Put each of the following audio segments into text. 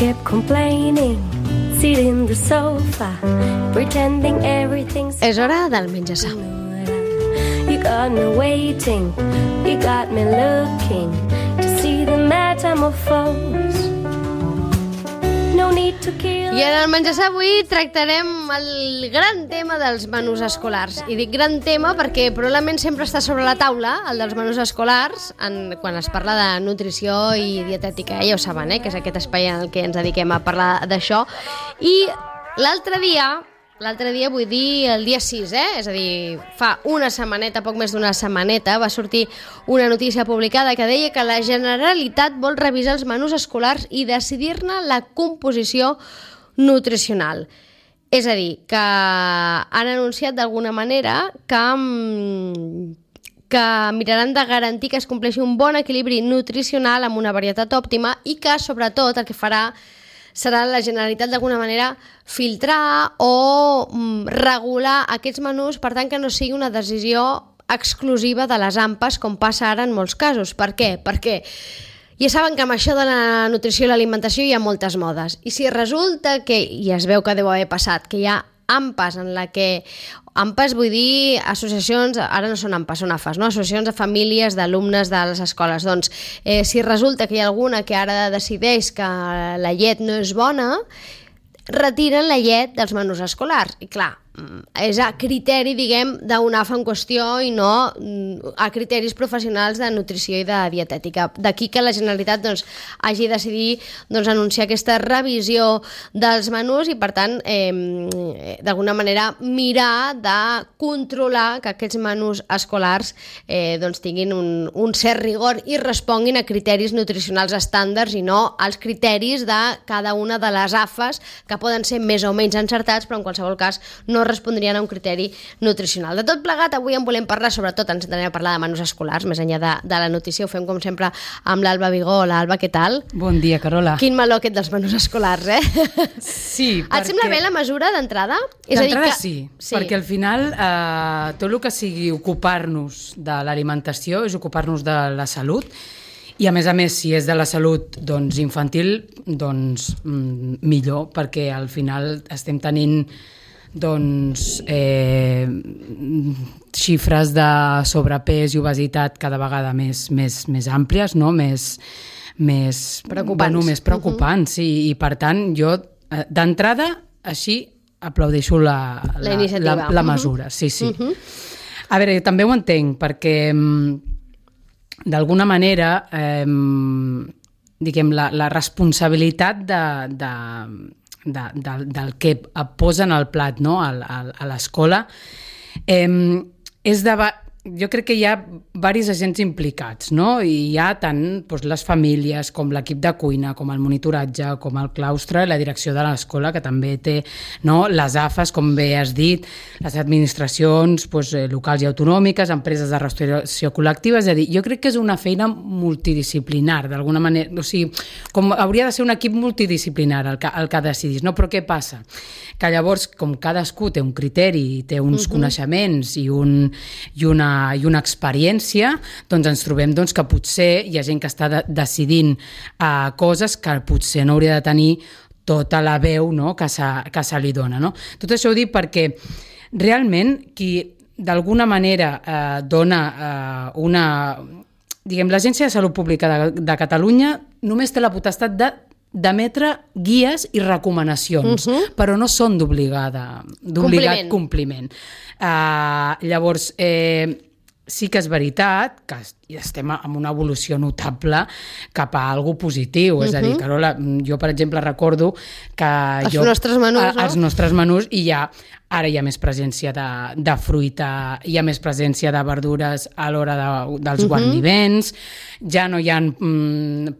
kept complaining, sitting in the sofa, pretending everything's És hora del menjar-sa. You got me waiting, you got me looking to see the metamorphose. No need to kill. I en el menjar-sa avui tractarem el gran tema dels menús escolars. I dic gran tema perquè probablement sempre està sobre la taula, el dels menús escolars, quan es parla de nutrició i dietètica. Ja ho saben, que és aquest espai en el que ens dediquem a parlar d'això. I l'altre dia vull dir el dia 6, és a dir, fa una setmaneta, poc més d'una setmaneta, va sortir una notícia publicada que deia que la Generalitat vol revisar els menús escolars i decidir-ne la composició nutricional. És a dir, que han anunciat d'alguna manera que miraran de garantir que es compleixi un bon equilibri nutricional amb una varietat òptima i que, sobretot, el que farà serà la Generalitat d'alguna manera filtrar o regular aquests menús, per tant que no sigui una decisió exclusiva de les AMPAs, com passa ara en molts casos. Per què? Perquè ja saben que amb això de la nutrició i l'alimentació hi ha moltes modes. I si resulta que, i es veu que deu haver passat, que hi ha AMPAs en la que... AMPAs vull dir associacions, ara no són AMPAs, són AFAs, no? Associacions de famílies d'alumnes de les escoles. Doncs si resulta que hi ha alguna que ara decideix que la llet no és bona, retiren la llet dels menús escolars. I clar, és a criteri, diguem, d'una AFA en qüestió i no a criteris professionals de nutrició i de dietètica. D'aquí que la Generalitat hagi decidit anunciar aquesta revisió dels menús i, per tant, d'alguna manera mirar de controlar que aquests menús escolars tinguin un cert rigor i responguin a criteris nutricionals estàndards i no als criteris de cada una de les AFAs, que poden ser més o menys encertats, però en qualsevol cas no respondrien a un criteri nutricional. De tot plegat, avui en volem parlar, sobretot ens anem a parlar de menús escolars, més enllà de la notícia. Ho fem com sempre amb l'Alba Vigó. Hola, Alba, què tal? Bon dia, Carola. Quin meló aquest dels menús escolars, Sí, perquè... Et sembla bé la mesura d'entrada? D'entrada sí, perquè al final tot el que sigui ocupar-nos de l'alimentació és ocupar-nos de la salut. I a més, si és de la salut infantil, millor, perquè al final estem tenint xifres de sobrepès i obesitat cada vegada més àmplies, no? més preocupants. Més preocupants, sí. I per tant jo d'entrada així aplaudeixo la mesura. Sí. A veure, també ho entenc, perquè d'alguna manera diguem, la responsabilitat del que posen al plat, no? a l'escola és jo crec que hi ha diversos agents implicats, no? I hi ha tant les famílies com l'equip de cuina, com el monitoratge, com el claustre, la direcció de l'escola, que també té, no? Les AFAs, com bé has dit, les administracions locals i autonòmiques, empreses de restauració col·lectiva. És a dir, jo crec que és una feina multidisciplinar, d'alguna manera. O sigui, com hauria de ser un equip multidisciplinar el que decidís, no? Però què passa? Que llavors, com cadascú té un criteri, té uns coneixements i una experiència, doncs ens trobem que potser hi ha gent que està decidint coses que potser no hauria de tenir tota la veu, no? que se li dona. No? Tot això ho dic perquè realment qui d'alguna manera dona l'Agència de Salut Pública de Catalunya només té la potestat d'emetre guies i recomanacions, però no són d'obligat compliment. Llavors, sí que és veritat que estem en una evolució notable cap a alguna cosa positiu. És a dir, Carola, jo, per exemple, recordo que els nostres menús, no? Els nostres menús, i ara hi ha més presència de fruita, hi ha més presència de verdures a l'hora dels guarniments, ja no hi ha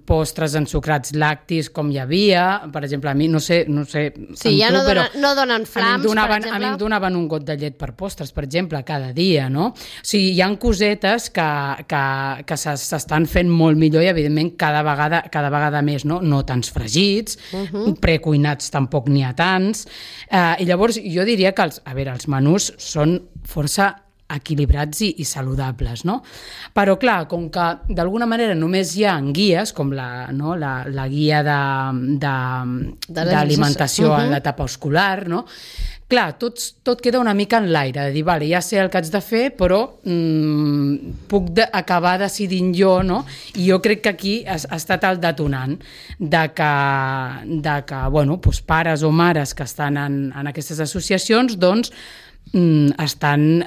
postres ensucrats làctics com hi havia. Per exemple, a mi, no sé sí, ja no donen flams, per exemple. A mi em donaven un got de llet per postres, per exemple, cada dia, no? O sigui, hi ha cosetes que s'estan fent molt millor i, evidentment, cada vegada més, no? No tants fregits, precuinats tampoc n'hi ha tants. I llavors jo diria que els menús són força equilibrats i saludables, no? Però, clar, com que d'alguna manera només hi ha guies, com la guia d'alimentació en l'etapa escolar, no? Clar, tot queda una mica en l'aire, de dir, vale, ja sé el que haig de fer, però puc acabar decidint jo, no? I jo crec que aquí ha estat el detonant de que bueno, doncs pares o mares que estan en aquestes associacions, doncs, estan,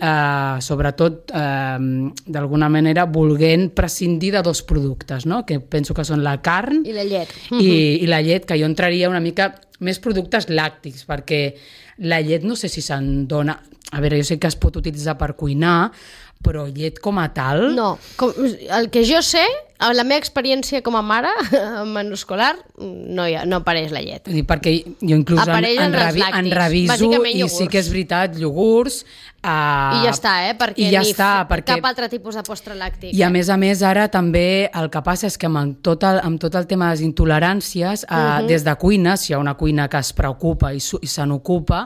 sobretot, d'alguna manera, volent prescindir de dos productes, no? Que penso que són la carn i la llet. I la llet, que jo entraria una mica més productes làctics, perquè la llet no sé si se'n dona... A veure, jo sé que es pot utilitzar per cuinar, però llet com a tal... No, el que jo sé, amb la meva experiència com a mare, en menú escolar, no apareix la llet. Perquè jo inclús en reviso i sí que és veritat, iogurts... I ja està, perquè cap altre tipus de postre làctic. I a més, ara també el que passa és que amb tot el tema de les intoleràncies, des de cuina, si hi ha una cuina que es preocupa i se n'ocupa,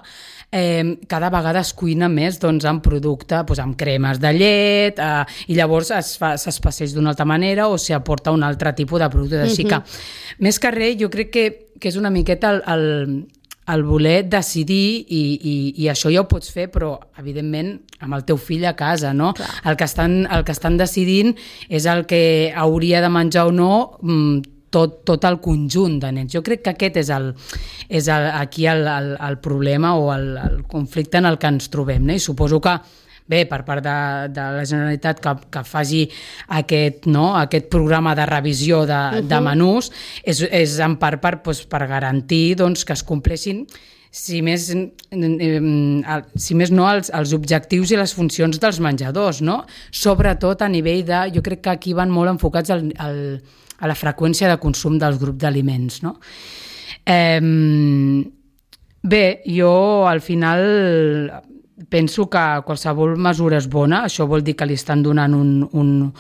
cada vegada es cuina més amb producte, amb cremes de llet, i llavors s'espaceix d'una altra manera o s'hi aporta un altre tipus de producte. Així que, més que res, jo crec que és una miqueta el voler decidir, i això ja ho pots fer, però evidentment amb el teu fill a casa, no? El que estan decidint és el que hauria de menjar o no tot el conjunt de nens. Jo crec que aquest és aquí el problema o el conflicte en el que ens trobem, no? I suposo que bé, per part de la Generalitat que faci aquest programa de revisió de menús, és en part per garantir que es compleixin, si més no, els objectius i les funcions dels menjadors, no? Sobretot a nivell de... Jo crec que aquí van molt enfocats a la freqüència de consum dels grups d'aliments, no? Bé, jo al final... Penso que qualsevol mesura és bona, això vol dir que li estan donant un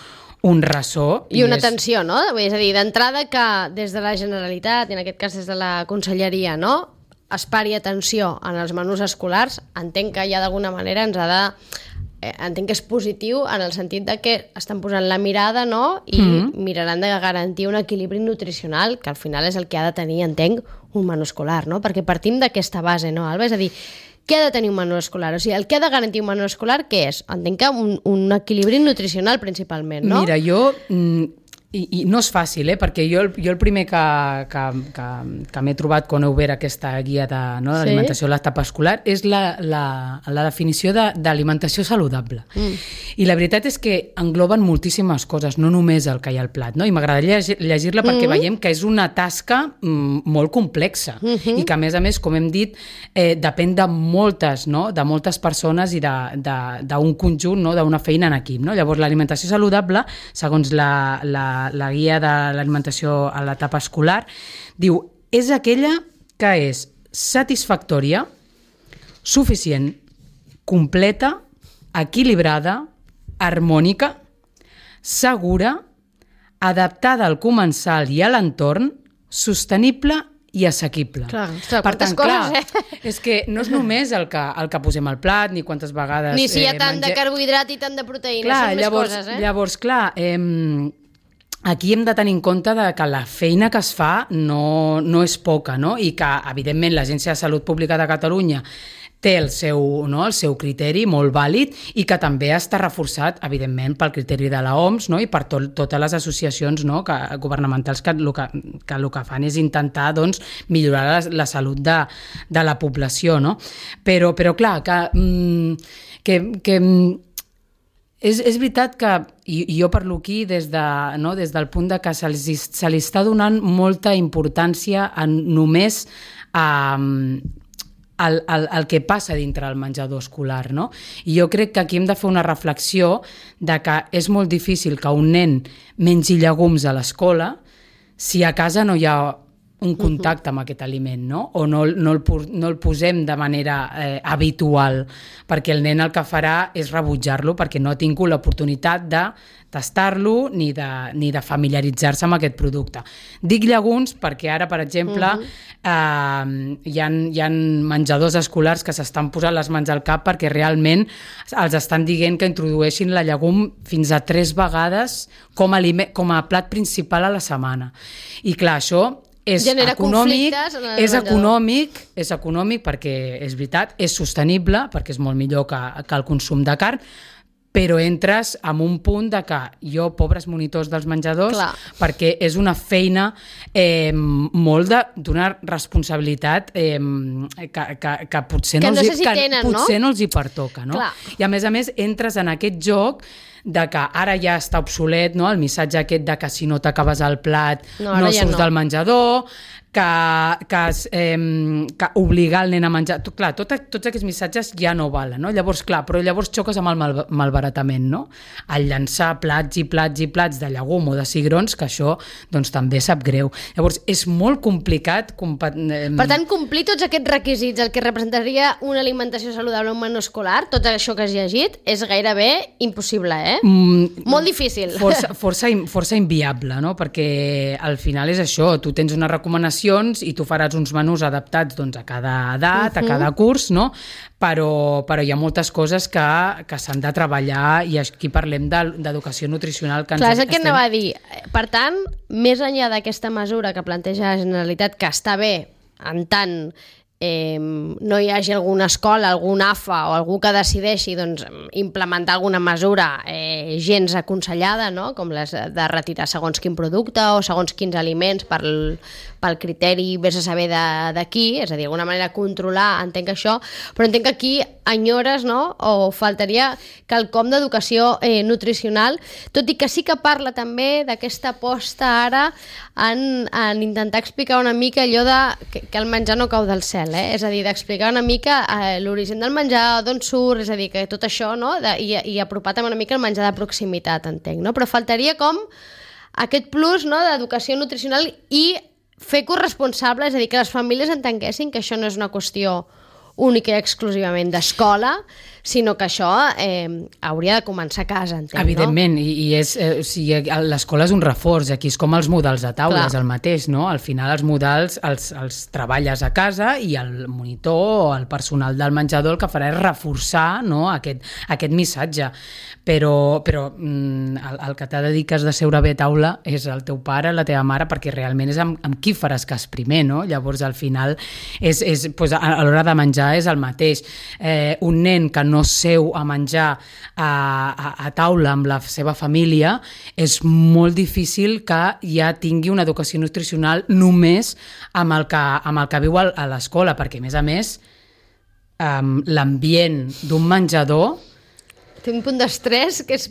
ressò. I una atenció, no? És a dir, d'entrada que des de la Generalitat, i en aquest cas des de la Conselleria, no? Es pari atenció en els menús escolars, entenc que ja d'alguna manera ens ha de... Entenc que és positiu en el sentit de que estan posant la mirada, no? I miraran de garantir un equilibri nutricional, que al final és el que ha de tenir, entenc, un menú escolar, no? Perquè partim d'aquesta base, no, Alba? És a dir, què ha de tenir un menú escolar? O sigui, el que ha de garantir un menú escolar, què és? Entenc que un equilibri nutricional principalment, no? Mira, jo... I no és fàcil, perquè jo el primer que m'he trobat quan he obert aquesta guia d'alimentació a l'etapa escolar és la definició d'alimentació saludable. I la veritat és que engloben moltíssimes coses, no només el que hi ha al plat, no? I m'agradaria llegir-la perquè veiem que és una tasca molt complexa i que, a més, com hem dit, depèn de moltes persones i d'un conjunt, no? D'una feina en equip, no? Llavors, l'alimentació saludable, segons la guia de l'alimentació a l'etapa escolar, diu, és aquella que és satisfactòria, suficient, completa, equilibrada, harmònica, segura, adaptada al comensal i a l'entorn, sostenible i assequible. Clar, per tant, és que no és només el que posem al plat, ni quantes vegades... Ni si hi ha tant de carbohidrat i tant de proteïna, són més coses, Llavors, clar, aquí hem de tenir en compte que la feina que es fa no és poca, no? I que, evidentment, l'Agència de Salut Pública de Catalunya té el seu criteri molt vàlid i que també està reforçat, evidentment, pel criteri de l'OMS, no? I per totes les associacions, no? Governamentals que el que fan és intentar millorar la salut de la població, no? Però clar, que és veritat que, i jo parlo aquí des del punt de que se li està donant molta importància només el que passa dintre el menjador escolar, no? I jo crec que aquí hem de fer una reflexió de que és molt difícil que un nen mengi llegums a l'escola si a casa no hi ha un contacte amb aquest aliment, no? O no el posem de manera habitual, perquè el nen el que farà és rebutjar-lo perquè no ha tingut l'oportunitat de tastar-lo ni de familiaritzar-se amb aquest producte. Dic llegums perquè ara, per exemple, hi ha menjadors escolars que s'estan posant les mans al cap perquè realment els estan dient que introdueixin la llegum fins a 3 vegades com a plat principal a la setmana. I clar, això és econòmic perquè és veritat, és sostenible perquè és molt millor que el consum de carn, però entres en un punt de que jo, pobres monitors dels menjadors, clar, perquè és una feina molt d'una responsabilitat que potser no els hi pertoca, no? I a més entres en aquest joc de que ara ja està obsolet, no? El missatge aquest de que si no t'acabes el plat no surts del menjador, que obligar el nen a menjar... Clar, tots aquests missatges ja no valen, no? Llavors xoques amb el malbaratament, no? Al llançar plats i plats de llegum o de cigrons, que això doncs, també sap greu. Llavors, és molt complicat... Per tant, complir tots aquests requisits, el que representaria una alimentació saludable a un menú escolar, tot això que has llegit, és gairebé impossible, molt difícil. Força inviable, no? Perquè al final és això, tu tens unes recomanacions i tu faràs uns menús adaptats doncs, a cada edat, a cada curs, no? Però hi ha moltes coses que s'han de treballar i aquí parlem d'educació nutricional. Clar, és el que anava a dir. Per tant, més enllà d'aquesta mesura que planteja la Generalitat, que està bé en tant no hi hagi alguna escola, algun AFA o algú que decideixi doncs, implementar alguna mesura gens aconsellada, no? Com les de retirar segons quin producte o segons quins aliments pel criteri vés a saber de qui, és a dir, d'alguna manera controlar, entenc això, però entenc que aquí enyores, no? O faltaria quelcom d'educació nutricional, tot i que sí que parla també d'aquesta aposta ara en intentar explicar una mica allò que el menjar no cau del cel, és a dir, d'explicar una mica l'origen del menjar, d'on surt, és a dir, que tot això, no? I apropar també una mica el menjar de proximitat, entenc, no? Però faltaria com aquest plus, no? D'educació nutricional i fer corresponsable, és a dir, que les famílies entenguessin que això no és una qüestió única i exclusivament d'escola, sinó que això hauria de començar a casa, entenc, evidentment, no? I l'escola és un reforç, aquí és com els modals de taula, és el mateix, no? Al final els modals els treballes a casa i el monitor o el personal del menjador el que farà és reforçar, no? aquest missatge, però el que t'ha de dir que has de seure bé a taula és el teu pare, la teva mare, perquè realment és amb qui faràs cas primer, no? Llavors al final doncs, a l'hora de menjar és el mateix. Un nen que no seu a menjar a taula amb la seva família, és molt difícil que ja tingui una educació nutricional només amb el que viu a l'escola, perquè a més l'ambient d'un menjador té un punt d'estrès que és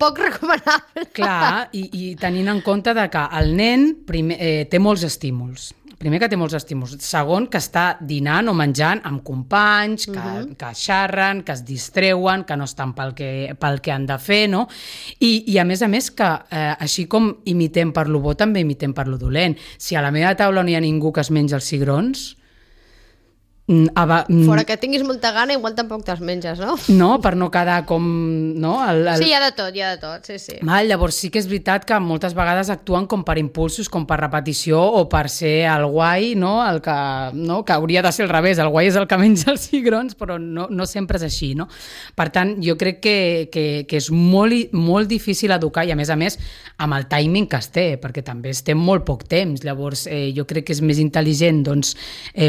poc recomanable. Clar, i tenint en compte que el nen té molts estímuls. Primer que té molts estímuls. Segon, que està dinant o menjant amb companys, que xerren, que es distreuen, que no estan pel que han de fer, no? I a més que així com imitem per lo bo, també imitem per lo dolent. Si a la meva taula no hi ha ningú que es menja els cigrons, fora que tinguis molta gana, igual tampoc te'ls menges, no? No, per no quedar com... No? Sí, hi ha de tot, sí. Llavors sí que és veritat que moltes vegades actuen com per impulsos, com per repetició o per ser el guai, no? Que hauria de ser al revés, el guai és el que menja els cigrons, però no sempre és així, no? Per tant, jo crec que és molt difícil educar i a més amb el timing que es té, perquè també es té molt poc temps. Llavors jo crec que és més intel·ligent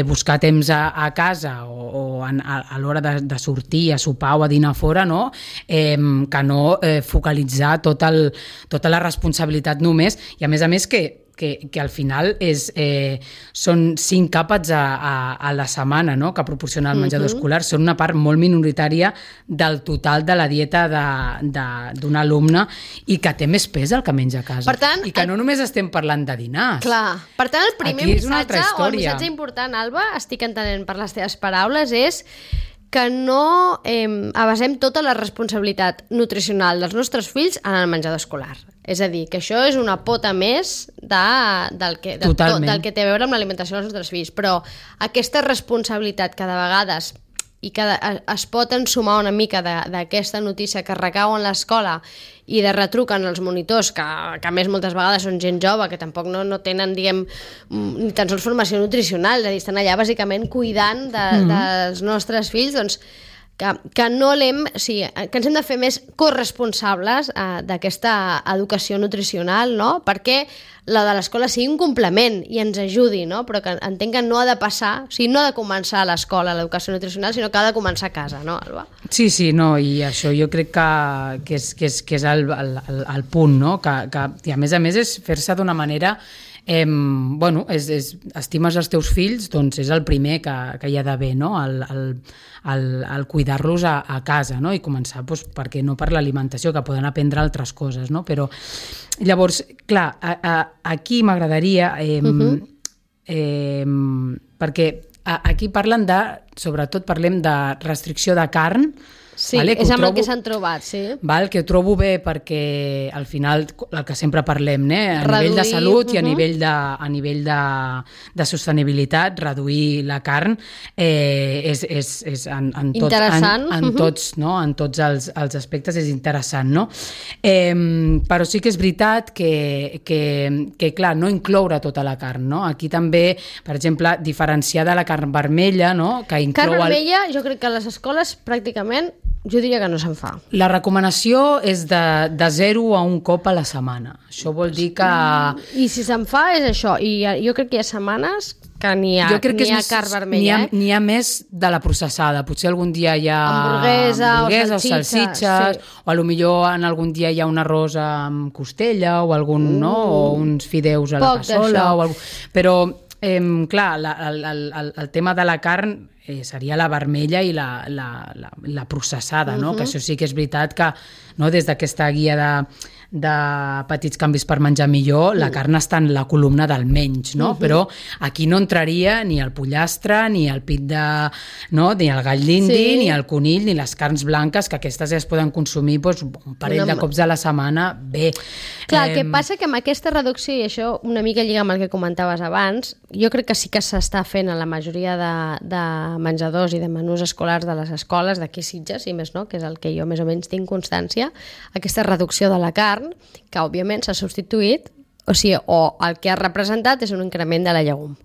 buscar temps a casa o a l'hora de sortir a sopar o a dinar fora, no? Que no focalitzar tota la responsabilitat només, i a més que al final són 5 àpats a la setmana, no? Que proporciona el menjador escolar, són una part molt minoritària del total de la dieta d'un alumne i que té més pes el que menja a casa. Per tant, i que no només estem parlant de dinars. Clar. Per tant, el primer missatge, o el missatge important, Alba, estic entenent per les teves paraules, és que no abasem tota la responsabilitat nutricional dels nostres fills en el menjador escolar. És a dir, que això és una pota més del que té a veure amb l'alimentació dels nostres fills. Però aquesta responsabilitat que de vegades i que es pot ensumar una mica d'aquesta notícia que recau en l'escola i de retruc en els monitors, que a més moltes vegades són gent jove, que tampoc no tenen, diguem, ni tan sols formació nutricional, és a dir, estan allà bàsicament cuidant dels nostres fills, doncs que no que ens hem de fer més corresponsables d'aquesta educació nutricional, no? Perquè la de l'escola sigui un complement i ens ajudi, no? Però que entenc que no ha de passar, o sigui, no ha de començar a l'escola l'educació nutricional, sinó que ha de començar a casa, no, Alba? Sí, no, i això jo crec que és el punt, no? I a més és fer-se d'una manera... estimes els teus fills, doncs és el primer que hi ha d'haver, no? El cuidar-los a casa, no? I començar, perquè no per l'alimentació, que poden aprendre altres coses, no? Però llavors, clar, aquí m'agradaria perquè aquí sobretot parlem de restricció de carn. Sí, vale, és amb el que s'han trobat, sí. Que ho trobo bé perquè al final el que sempre parlem, a nivell de salut i a nivell de sostenibilitat, reduir la carn és en tots els aspectes és interessant, no? Però sí que és veritat que clar, no incloure tota la carn, no? Aquí també, per exemple, diferenciar de la carn vermella, no? Que inclou carn vermella, jo crec que a les escoles pràcticament jo diria que no se'n fa. La recomanació és de 0 a 1 cop a la setmana. Això vol dir que... I si se'n fa és això. I jo crec que hi ha setmanes que n'hi ha carn vermella. N'hi ha més de la processada. Potser algun dia hi ha hamburguesa o salsitxes, sí. O potser en algun dia hi ha un arròs amb costella o o uns fideus a la cassola. Però, clar, el tema de la carn seria la vermella i la processada, no? Que això sí que és veritat que des d'aquesta guia de petits canvis per menjar millor, la carn està en la columna del menys, no? Però aquí no entraria ni el pollastre, ni el pit ni el gall d'indi, ni el conill, ni les carns blanques, que aquestes ja es poden consumir un parell de cops a la setmana, bé. Clar, el que passa que amb aquesta reducció, i això una mica lliga amb el que comentaves abans, jo crec que sí que s'està fent a la majoria de menjadors i de menús escolars de les escoles, d'aquí Sitges, i més no, que és el que jo més o menys tinc constància, aquesta reducció de la carn, que òbviament s'ha substituït, o el que ha representat és un increment de la llegum.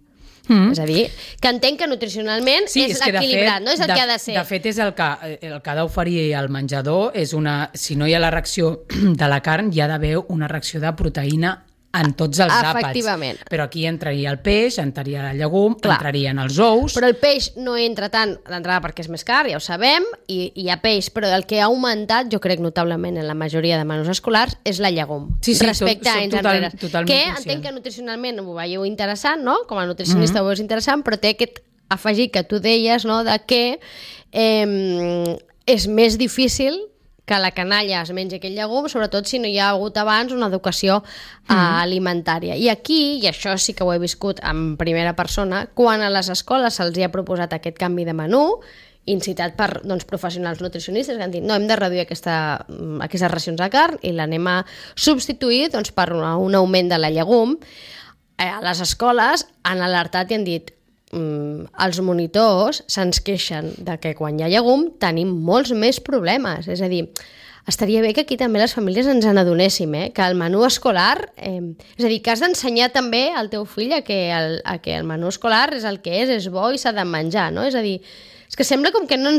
És a dir, que entenc que nutricionalment és equilibrat, no és el que ha de ser. De fet, és el que ha d'oferir el menjador, si no hi ha la reacció de la carn, hi ha d'haver una reacció de proteïna en tots els àpats. Efectivament. Però aquí entraria el peix, entraria la llegum, entrarien els ous... Però el peix no entra tant d'entrada perquè és més car, ja ho sabem, i hi ha peix, però el que ha augmentat, jo crec notablement en la majoria de menús escolars, és la llegum. Respecte a anys enrere. Que entenc que nutricionalment ho veieu interessant, no? Com a nutricionista ho veus interessant, però té aquest afegit que tu deies, no? De que és més difícil que la canalla es mengi aquell llegum, sobretot si no hi ha hagut abans una educació alimentària. I aquí, i això sí que ho he viscut en primera persona, quan a les escoles se'ls ha proposat aquest canvi de menú, incitat per professionals nutricionistes que han dit, no, hem de reduir aquestes racions de carn i l'anem a substituir per un augment de la llegum, a les escoles han alertat i han dit els monitors se'ns queixen de que quan hi ha llegum tenim molts més problemes. És a dir, estaria bé que aquí també les famílies ens n'adonéssim, que el menú escolar... és a dir, que has d'ensenyar també al teu fill a que el menú escolar és el que és bo i s'ha de menjar, no? És a dir, és que sembla com que no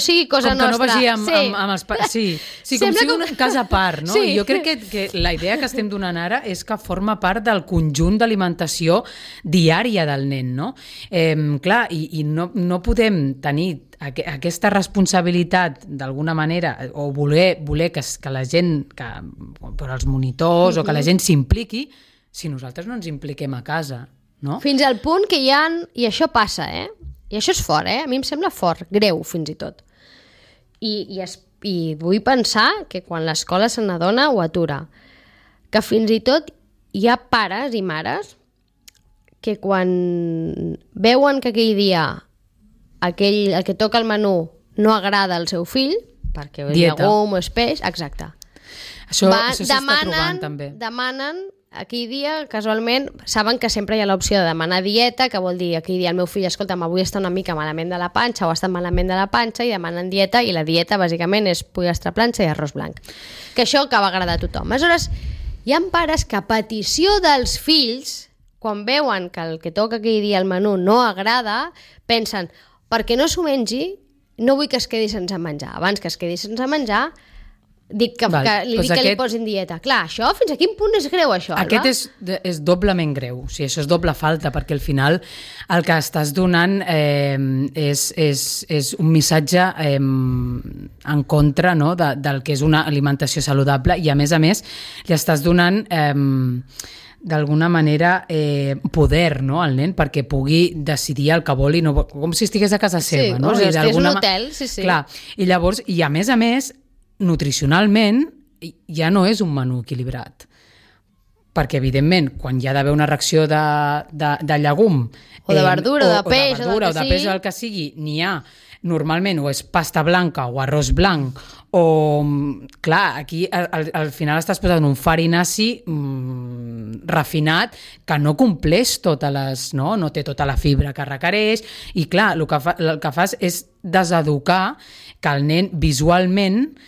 sigui cosa nostra. Com que no vagi amb els... Sí, com si un cas a part, no? Sí. Jo crec que la idea que estem donant ara és que forma part del conjunt d'alimentació diària del nen, no? Clar, i no podem tenir aquesta responsabilitat d'alguna manera, o voler que la gent, per als monitors, o que la gent s'impliqui, si nosaltres no ens impliquem a casa, no? Fins al punt que hi ha... I això passa, I això és fort, A mi em sembla fort, greu, fins i tot. I vull pensar que quan l'escola se n'adona ho atura. Que fins i tot hi ha pares i mares que quan veuen que aquell dia el que toca el menú no agrada al seu fill, perquè és llegum o és peix, exacte. Això s'està trobant també. Demanen aquell dia, casualment, saben que sempre hi ha l'opció de demanar dieta, que vol dir aquell dia el meu fill, escolta'm, avui està una mica malament de la panxa o està malament de la panxa, i demanen dieta, i la dieta bàsicament és pollastre planxa i arròs blanc. Que això que va agradar a tothom. Aleshores, hi ha pares que a petició dels fills, quan veuen que el que toca aquell dia al menú no agrada, pensen, perquè no s'ho mengi, no vull que es quedi sense menjar. Abans que es quedi sense menjar, dic que li posin dieta. Clar, això, fins a quin punt és greu, això? Aquest és doblement greu. O sigui, això és doble falta, perquè al final el que estàs donant és un missatge en contra, no?, del que és una alimentació saludable, i a més li estàs donant d'alguna manera poder, no?, al nen, perquè pugui decidir el que vol, i no, com si estigués a casa seva. Sí, no? És que és un hotel, sí. Clar, i llavors, i a més, nutricionalment ja no és un menú equilibrat, perquè evidentment quan hi ha d'haver una reacció de llegum o de verdura, o de peix o de peix o el que sigui, n'hi ha normalment o és pasta blanca o arròs blanc, o clar, aquí al final estàs posant un farinaci refinat que no compleix totes les, no té tota la fibra que requereix, i clar, el que fas és deseducar que el nen visualment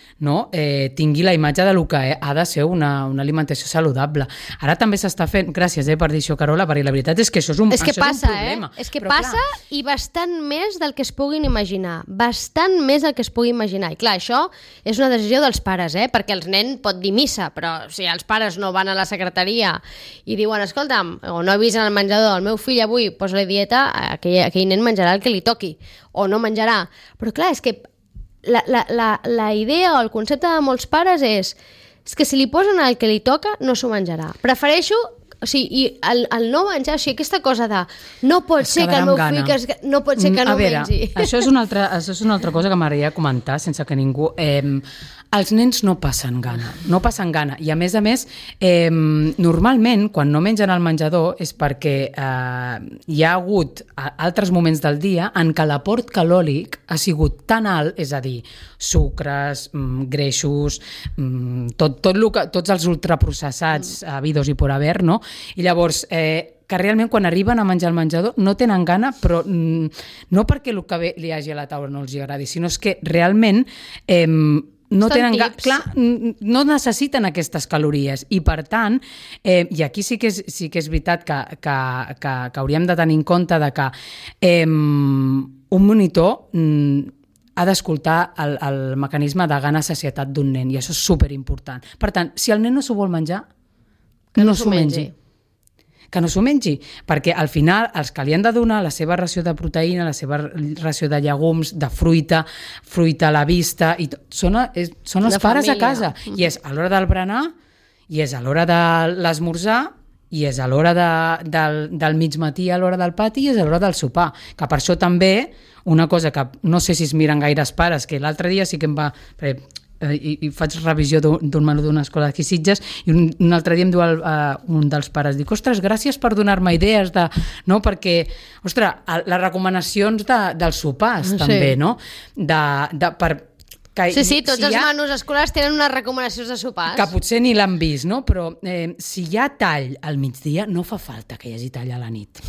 tingui la imatge del que ha de ser una alimentació saludable. Ara també s'està fent, gràcies per dir això, Carola, perquè la veritat és que això és un problema. És que passa, i bastant més del que es puguin imaginar, bastant més del que es pugui imaginar. I clar, això és una decisió dels pares, perquè el nen pot dir missa, però si els pares no van a la secretaria i diuen, escolta'm, o no avisen al menjador, el meu fill avui posa-li dieta, aquell nen menjarà el que li toqui, o no menjarà. Però clar, és que la idea o el concepte de molts pares és que si li posen el que li toca no s'ho menjarà. Prefereixo, o sigui, el no menjar, o sigui, aquesta cosa de no pot ser que el meu fill no pot ser que no mengi. Això és una altra cosa que m'agradaria comentar sense que ningú... Els nens no passen gana, i a més, normalment quan no mengen al menjador és perquè hi ha hagut altres moments del dia en què l'aport calòric ha sigut tan alt, és a dir, sucres, greixos, tots els ultraprocessats habidos i por haver, no? I llavors... que realment quan arriben a menjar al menjador no tenen gana, però no perquè el que li hagi a la taula no els agradi, sinó és que realment no tenen clar, no necessiten aquestes calories, i per tant, i aquí sí que és veritat que hauríem de tenir en compte de que un monitor ha d'escoltar el mecanisme de gana-sacietat d'un nen, i això és superimportant. Per tant, si el nen no s'ho vol menjar, que no s'ho mengi. Que no s'ho mengi, perquè al final els que li han de donar la seva ració de proteïna, la seva ració de llegums, de fruita a la vista, i són els pares a casa, i és a l'hora del berenar, i és a l'hora de l'esmorzar, i és a l'hora del migmatí, a l'hora del pati, i és a l'hora del sopar, que per això també una cosa que no sé si es miren gaires pares, que l'altre dia sí que em va... i faig revisió d'un menú d'una escola d'aquí Sitges, i un altre dia em diu un dels pares, dic, ostres, gràcies per donar-me idees perquè, ostres, les recomanacions dels sopars també, no? Tots els menús escolars tenen unes recomanacions de sopars. Que potser ni l'han vist, no? Però si hi ha tall al migdia, no fa falta que hi hagi tall a la nit,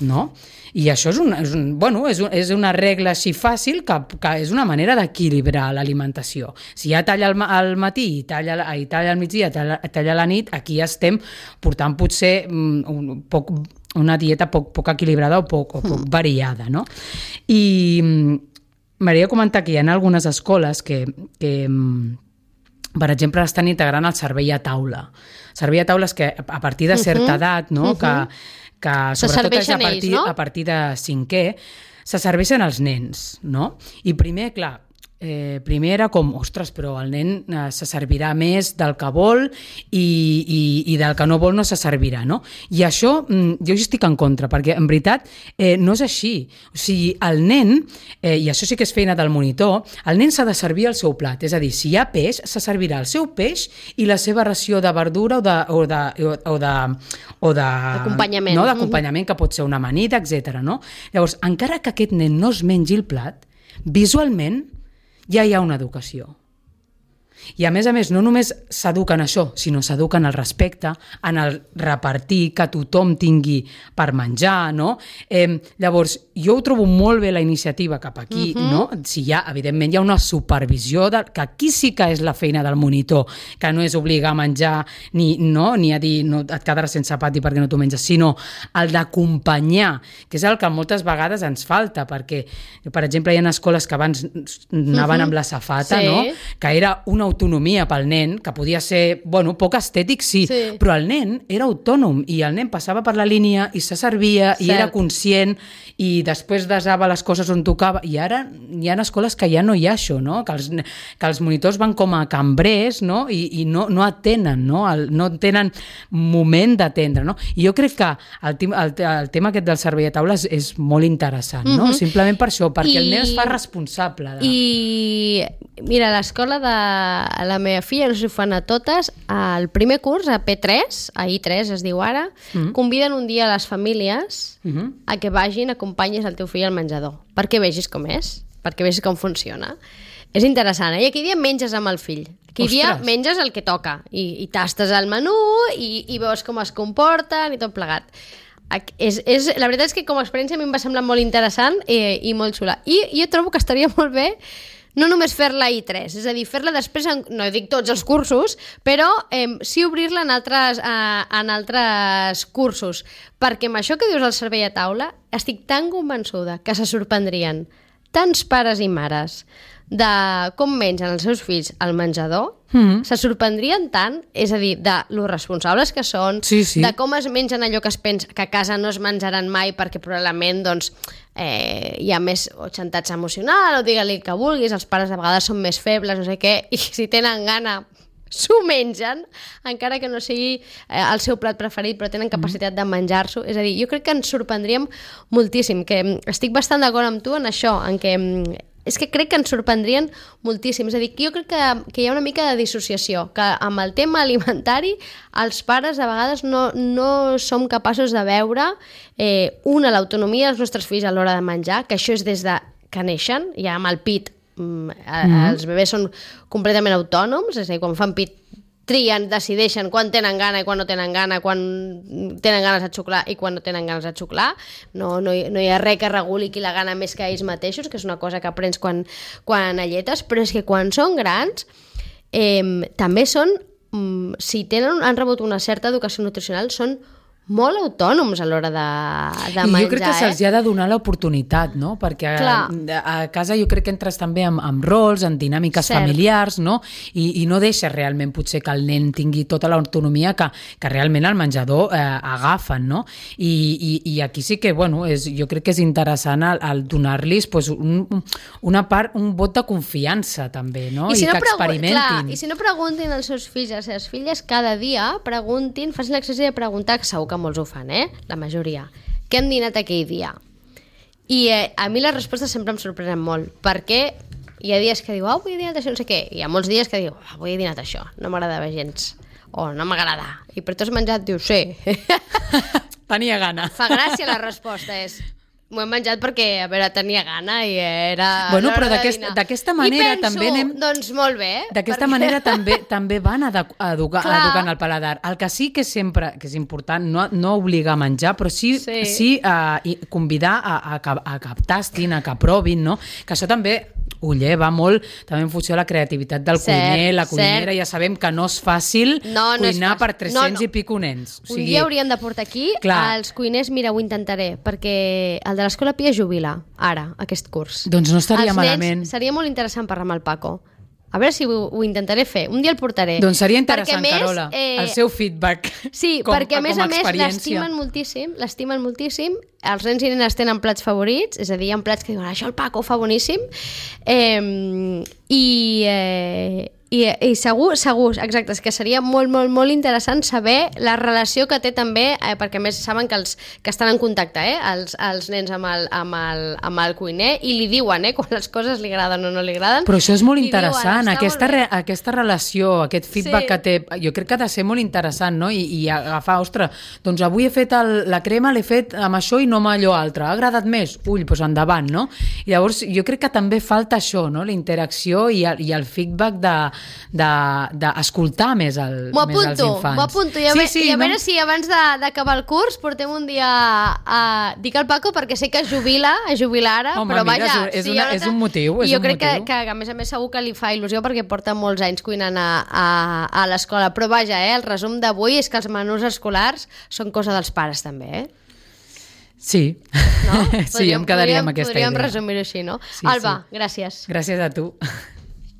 no? I això és una regla així fàcil que és una manera d'equilibrar l'alimentació. Si hi ha tall al matí i tall al migdia, tall a la nit, aquí estem portant potser una dieta poc equilibrada o poc variada, no? I m'agradaria comentar que hi ha algunes escoles que per exemple, estan integrant el servei a taula. Servei a taula és que a partir de certa edat, no? Que sobretot és a partir de 5è, se serveixen els nens, no? I primer, clar, primer era com, ostres, però el nen se servirà més del que vol i del que no vol no se servirà, no? I això jo hi estic en contra, perquè en veritat no és així. O sigui, el nen, i això sí que és feina del monitor, el nen s'ha de servir el seu plat, és a dir, si hi ha peix, se servirà el seu peix i la seva ració de verdura o d'acompanyament, no? D'acompanyament, que pot ser una amanida, etc. No? Llavors, encara que aquest nen no es mengi el plat, visualment ja hi ha una educació. I a més, no només s'eduquen això, sinó s'eduquen al respecte, en el repartir, que tothom tingui per menjar, no? Llavors, jo ho trobo molt bé la iniciativa cap aquí, no? Si evidentment hi ha una supervisió, que aquí sí que és la feina del monitor, que no és obligar a menjar ni a dir no, et quedaràs sense pati perquè no t'ho menges, sinó el d'acompanyar, que és el que moltes vegades ens falta, perquè, per exemple, hi ha escoles que abans anaven amb la safata, no? Que era una autonomia pel nen, que podia ser, poc estètic, sí, però el nen era autònom i el nen passava per la línia i se servia i era conscient i després desava les coses on tocava, i ara hi ha escoles que ja no hi ha això, no? Que els monitors van com a cambrers, no? I no atenen, no? No tenen moment d'atendre, no? I jo crec que el tema aquest del servei a taula és molt interessant, no? Simplement per això, perquè el nen es fa responsable. I mira, a l'escola de la meva filla, no sé si ho fan a totes, al primer curs, a P3, a I3 es diu ara, conviden un dia a les famílies a que vagin, acompanyis el teu fill al menjador, perquè vegis com és, perquè vegis com funciona. És interessant, I aquell dia menges amb el fill. Aquell dia menges el que toca i tastes el menú i veus com es comporten i tot plegat. La veritat és que com a experiència a mi em va semblar molt interessant i molt xula. I jo trobo que estaria molt bé no només fer-la a I3, és a dir, fer-la després, no dic tots els cursos, però sí obrir-la en altres cursos, perquè amb això que dius al servei a taula estic tan convençuda que se sorprendrien tants pares i mares de com mengen els seus fills al menjador, se sorprendrien tant, és a dir, de lo responsables que són, de com es mengen allò que es pensa que a casa no es menjaran mai perquè probablement hi ha més xantatge emocional o digue-li que vulguis, els pares de vegades són més febles, no sé què, i si tenen gana s'ho mengen, encara que no sigui el seu plat preferit, però tenen capacitat de menjar-s'ho. És a dir, jo crec que ens sorprendríem moltíssim, que estic bastant d'acord amb tu en això, en què és que crec que ens sorprendrien moltíssim. És a dir, que jo crec que hi ha una mica de dissociació, que amb el tema alimentari els pares a vegades no som capaços de veure l'autonomia dels nostres fills a l'hora de menjar, que això és des de que neixen, ja amb el pit els bebès són completament autònoms, és a dir, quan fan pit trien, decideixen quan tenen gana i quan no tenen gana, quan tenen ganes de xuclar i quan no tenen ganes de xuclar. No hi ha res que reguli qui la gana més que ells mateixos, que és una cosa que aprens quan alletes, però és que quan són grans també són, si han rebut una certa educació nutricional, són molt autònoms a l'hora de menjar. Jo crec que se'ls ha de donar l'oportunitat, no? Perquè a casa jo crec que entres també amb rols, en dinàmiques familiars, no? I no deixes realment potser que el nen tingui tota l'autonomia que realment al menjador agafen, no? I aquí sí que, jo crec que és interessant el donar-los un vot de confiança també, no? I que experimentin. I si no preguntin als seus fills i a les seves filles cada dia, facin l'exercici de preguntar, que segur que molts ho fan, la majoria. Què han dinat aquell dia? I a mi les respostes sempre em sorprenen molt, perquè hi ha dies que diu, avui he dinat això, no sé què, i hi ha molts dies que diu, avui he dinat això, no m'agradava gens, o no m'agrada. I per tu has menjat? Diu, sí. Tenia gana. Fa gràcia la resposta, m'ho he menjat perquè, a veure, tenia gana i era... Però d'aquesta manera també anem... Doncs molt bé. D'aquesta manera també van educant el paladar. El que sí que sempre que és important, no obligar a menjar, però sí convidar a que tastin, a que provin, no? Que això també ho lleva molt, també en funció de la creativitat del cuiner, la cuinera, ja sabem que no és fàcil cuinar per 300 i pico nens. Un dia hauríem de portar aquí els cuiners, mira, ho intentaré, perquè el de l'Escola Pia jubila, ara, aquest curs. Doncs no estaria malament. Seria molt interessant parlar amb el Paco. A veure si ho intentaré fer. Un dia el portaré. Doncs seria interessant, Carola, el seu feedback. Sí, perquè a més l'estimen moltíssim, els nens i nenes tenen plats favorits, és a dir, hi ha plats que diuen, això el Paco ho fa boníssim, i segur, exacte, és que seria molt, molt, molt interessant saber la relació que té també, perquè a més saben que estan en contacte, els nens amb el cuiner, i li diuen quan les coses li agraden o no li agraden. Però això és molt interessant, aquesta relació, aquest feedback que té, jo crec que ha de ser molt interessant, no? I agafar, ostres, doncs avui he fet la crema, l'he fet amb això i no amb allò altre, ha agradat més? Doncs endavant, no? I llavors jo crec que també falta això, no? La interacció i el feedback d'escoltar més els infants. M'ho apunto. I a veure si abans d'acabar el curs portem un dia dic al Paco perquè sé que es jubila ara, home, però mira, vaja... és un motiu. I jo crec que a més segur que li fa il·lusió perquè porta molts anys cuinant a l'escola. Però vaja, el resum d'avui és que els menús escolars són cosa dels pares també, Sí, no? sí, em quedaria amb aquesta idea. Podríem resumir-ho així, no? Sí, Alba, gràcies. Gràcies a tu.